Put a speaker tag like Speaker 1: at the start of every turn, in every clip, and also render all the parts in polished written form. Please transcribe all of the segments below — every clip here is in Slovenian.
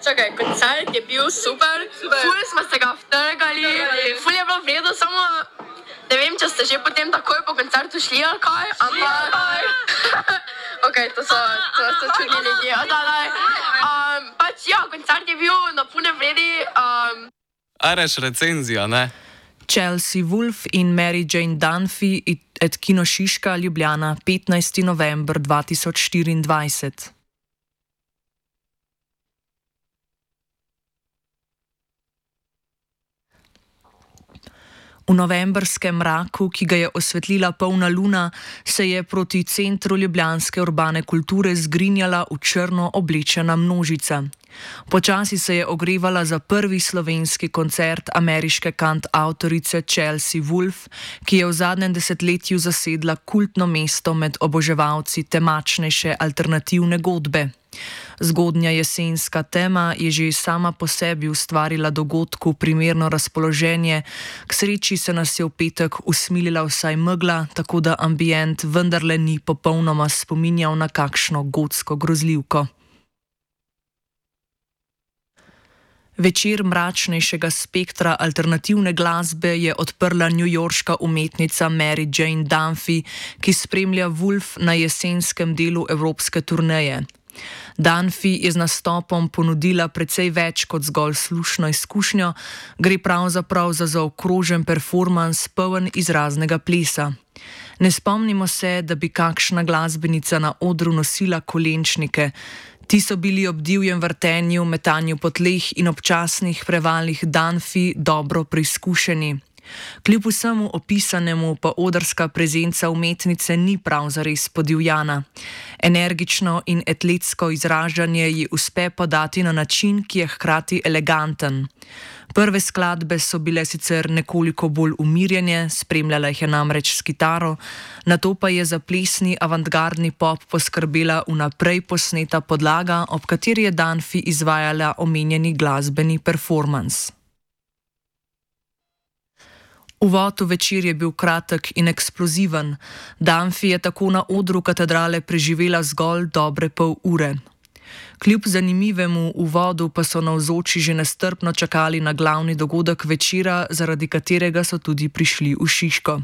Speaker 1: Čakaj, koncert je bil super. Ful smo se ga vtrgali, ful je bilo vredo, samo ne vem, če ste že potem takoj po koncertu šli ali kaj, ampak... Ok, to so čudni ljudje. Pač ja, koncert je bil na pune vredi.
Speaker 2: Areš recenzija, ne?
Speaker 3: Chelsea Wolfe in Mary Jane Dunphy et Kino Šiška, Ljubljana, 15. november 2024. V novembrskem mraku, ki ga je osvetlila polna luna, se je proti centru ljubljanske urbane kulture zgrinjala v črno oblečena množica. Počasi se je ogrevala za prvi slovenski koncert ameriške kantavtorice Chelsea Wolfe, ki je v zadnjem desetletju zasedla kultno mesto med oboževalci temačnejše alternativne godbe. Zgodnja jesenska tema je že sama po sebi ustvarila dogodku primerno razpoloženje, k sreči se nas je v petek usmilila vsaj megla, tako da ambient vendarle ni popolnoma spominjal na kakšno gotsko grozljivko. Večer mračnejšega spektra alternativne glasbe je odprla newyorška umetnica Mary Jane Dunphy, ki spremlja Wolfe na jesenskem delu evropske turneje. Dunphy je z nastopom ponudila precej več kot zgolj slušno izkušnjo, gre pravzaprav za zaokrožen performans poln izraznega plesa. Ne spomnimo se, da bi kakšna glasbenica na odru nosila kolenčnike. Ti so bili ob divjem vrtenju, metanju po tleh in občasnih prevalih Dunphy dobro preizkušeni. Kljub vsemu opisanemu pa odrska prezenca umetnice ni prav zares podivjana. Energično in atletsko izražanje ji uspe podati na način, ki je hkrati eleganten. Prve skladbe so bile sicer nekoliko bolj umirjene, spremljala jih je namreč s kitaro, nato pa je za plesni avantgardni pop poskrbela vnaprej posneta podlaga, ob kateri je Dunphy izvajala omenjeni glasbeni performans. Uvod v večer je bil kratek in eksploziven. Dunphy je tako na odru katedrale preživela zgolj dobre pol ure. Kljub zanimivemu uvodu pa so navzoči že nestrpno čakali na glavni dogodek večera, zaradi katerega so tudi prišli v Šiško.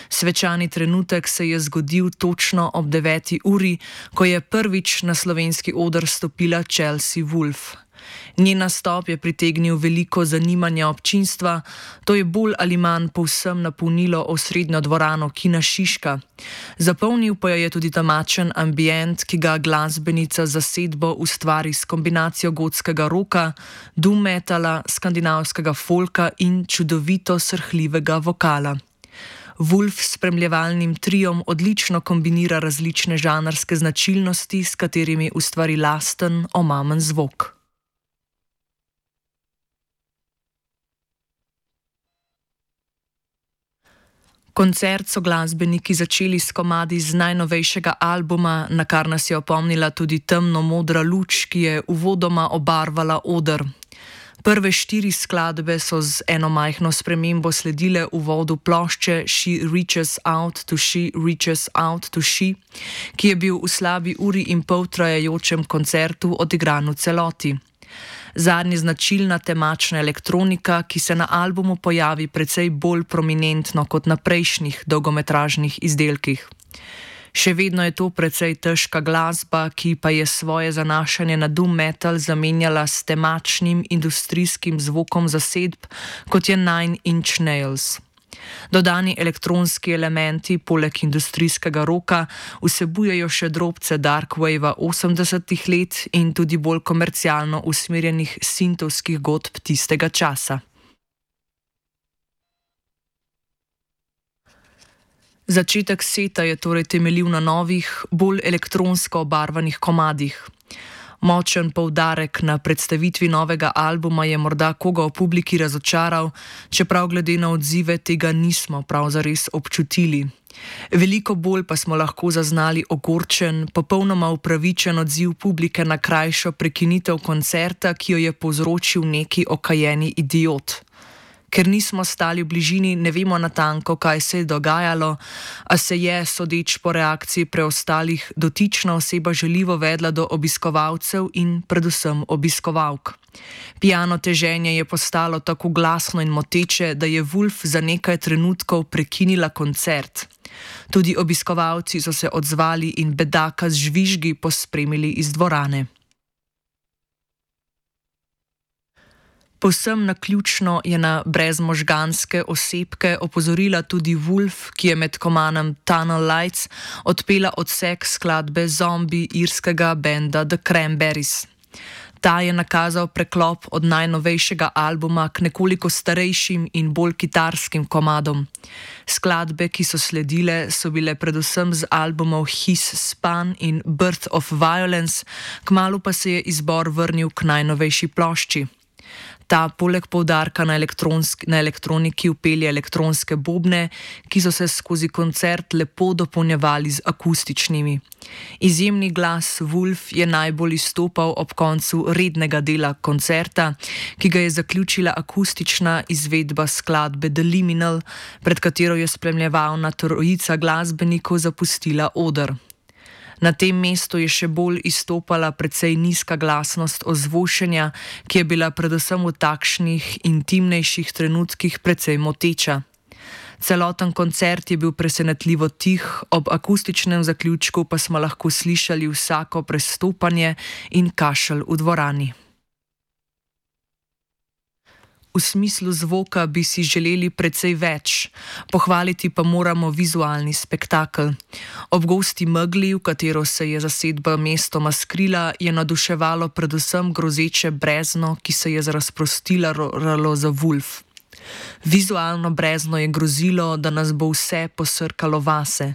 Speaker 3: Svečani trenutek se je zgodil točno ob 9. uri, ko je prvič na slovenski oder stopila Chelsea Wolfe. Njen nastop je pritegnil veliko zanimanja občinstva, to je bolj ali manj povsem napolnilo osrednjo dvorano Kina Šiška. Zapolnil pa je tudi temačen ambient, ki ga glasbenica zasedbo ustvari s kombinacijo gotskega roka, doom metala, skandinavskega folka in čudovito srhljivega vokala. Wolfe s spremljevalnim triom odlično kombinira različne žanrske značilnosti, s katerimi ustvari lasten, omamen zvok. Koncert so glasbeniki začeli s komadi z najnovejšega albuma, na kar nas je opomnila tudi temno-modra luč, ki je uvodoma obarvala oder. Prve 4 skladbe so z eno majhno spremembo sledile uvodu plošče She Reaches Out to She Reaches Out to She, ki je bil v slabi uri in pol trajajočem koncertu odigran v celoti. Zadnja značilna temačna elektronika, ki se na albumu pojavi precej bolj prominentno kot na prejšnjih dolgometražnih izdelkih. Še vedno je to precej težka glasba, ki pa je svoje zanašanje na doom metal zamenjala s temačnim industrijskim zvokom zasedb, kot je Nine Inch Nails. Dodani elektronski elementi, poleg industrijskega roka, vsebujejo še drobce darkwavea 80-ih let in tudi bolj komercialno usmerjenih sintovskih godb tistega časa. Začetek seta je torej temeljil na novih, bolj elektronsko obarvanih komadih. Močen poudarek na predstavitvi novega albuma je morda koga v publiki razočaral, čeprav glede na odzive tega nismo prav zares občutili. Veliko bolj pa smo lahko zaznali ogorčen, popolnoma upravičen odziv publike na krajšo prekinitev koncerta, ki jo je povzročil neki okajeni idiot. Ker nismo stali v bližini, ne vemo natanko, kaj se je dogajalo, a se je, sodeč po reakciji preostalih, dotična oseba žaljivo vedla do obiskovalcev in predvsem obiskovalk. Pijano teženje je postalo tako glasno in moteče, da je Wulf za nekaj trenutkov prekinila koncert. Tudi obiskovalci so se odzvali in bedaka z žvižgi pospremili iz dvorane. Povsem naključno je na brezmožganske osebke opozorila tudi Wulf, ki je med komanom Tunnel Lights odpela odsek skladbe Zombie irskega benda The Cranberries. Ta je nakazal preklop od najnovejšega albuma k nekoliko starejšim in bolj kitarskim komadom. Skladbe, ki so sledile, so bile predvsem z albumov His Span in Birth of Violence, kmalu pa se je izbor vrnil k najnovejši plošči. Ta poleg poudarka na elektroniki vpelje elektronske bobne, ki so se skozi koncert lepo dopolnjevali z akustičnimi. Izjemni glas Wulf je najbolj izstopal ob koncu rednega dela koncerta, ki ga je zaključila akustična izvedba skladbe The Liminal, pred katero je spremljevalna trojica glasbenikov zapustila oder. Na tem mestu je še bolj izstopala precej nizka glasnost ozvočenja, ki je bila predvsem v takšnih intimnejših trenutkih precej moteča. Celoten koncert je bil presenetljivo tih, ob akustičnem zaključku pa smo lahko slišali vsako prestopanje in kašelj v dvorani. V smislu zvoka bi si želeli precej več, pohvaliti pa moramo vizualni spektakel. Ob gosti megli, v katero se je zasedba mestoma skrila, je naduševalo predvsem grozeče brezno, ki se je razprostilalo za Wulf. Vizualno brezno je grozilo, da nas bo vse posrkalo vase.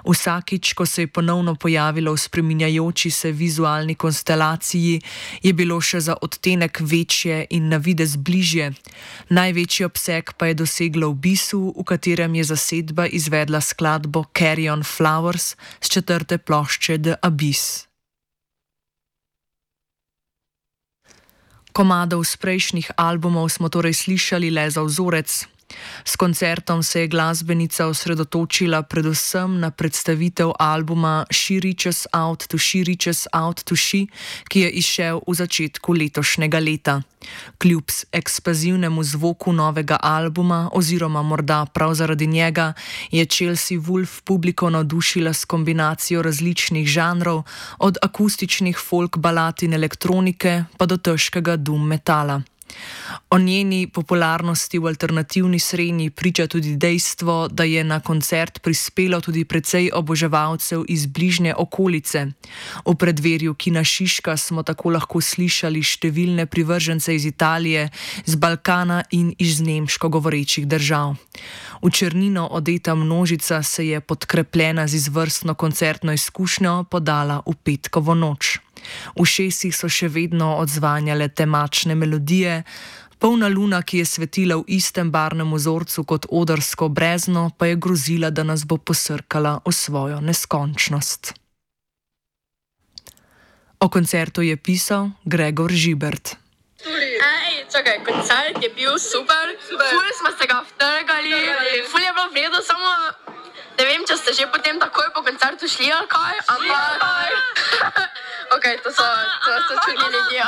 Speaker 3: Vsakič, ko se je ponovno pojavilo v spreminjajoči se vizualni konstelaciji, je bilo še za odtenek večje in na videz bližje. Največji obseg pa je doseglo v Bisu, v katerem je zasedba izvedla skladbo Carry on Flowers s 4. plošče The Abyss. Komadov z prejšnjih albumov smo torej slišali le za vzorec. S koncertom se je glasbenica osredotočila predvsem na predstavitev albuma She Reaches Out to She Reaches Out to She, ki je izšel v začetku letošnjega leta. Kljub eksplozivnemu zvoku novega albuma, oziroma morda prav zaradi njega, je Chelsea Wolfe publiko navdušila s kombinacijo različnih žanrov, od akustičnih folk balad in elektronike pa do težkega doom metala. O njeni popularnosti v alternativni srenji priča tudi dejstvo, da je na koncert prispelo tudi precej oboževalcev iz bližnje okolice. V predverju Kina Šiška smo tako lahko slišali številne privržence iz Italije, z Balkana in iz nemško govorečih držav. V črnino odeta množica se je podkrepljena z izvrstno koncertno izkušnjo podala v petkovo noč. V ušesih so še vedno odzvanjale temačne melodije, polna luna, ki je svetila v istem barvnem vzorcu kot odrsko brezno, pa je grozila, da nas bo posrkala v svojo neskončnost. O koncertu je pisal Gregor Žibert.
Speaker 1: Čakaj, koncert je bil super, ful smo se ga vtrgali, ful je bilo v redu, samo ne vem, če ste že potem takoj po koncertu šli ali kaj, ampak ok, to so čudni ljudje,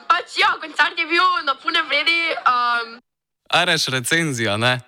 Speaker 1: pač ja, koncert je bil na pune vredi.
Speaker 2: Areš recenzija, ne?